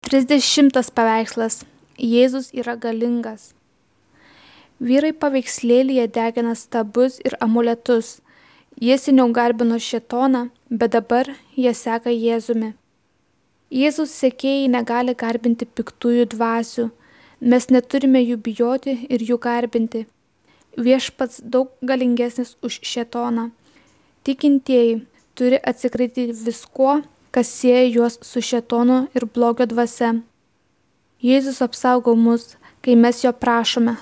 30 paveikslas. Jėzus yra galingas. Vyrai paveikslėlyje degina stabus ir amuletus. Jie seniau garbino šėtoną, bet dabar jie seka Jėzumi. Jėzus sekėjai negali garbinti piktųjų dvasių. Mes neturime jų bijoti ir jų garbinti. Viešpats daug galingesnis už šėtoną. Tikintieji turi atsikratyti viskuo, kas sieja juos su šėtonu ir blogio dvasia. Jėzus apsaugo mus, kai mes jo prašome.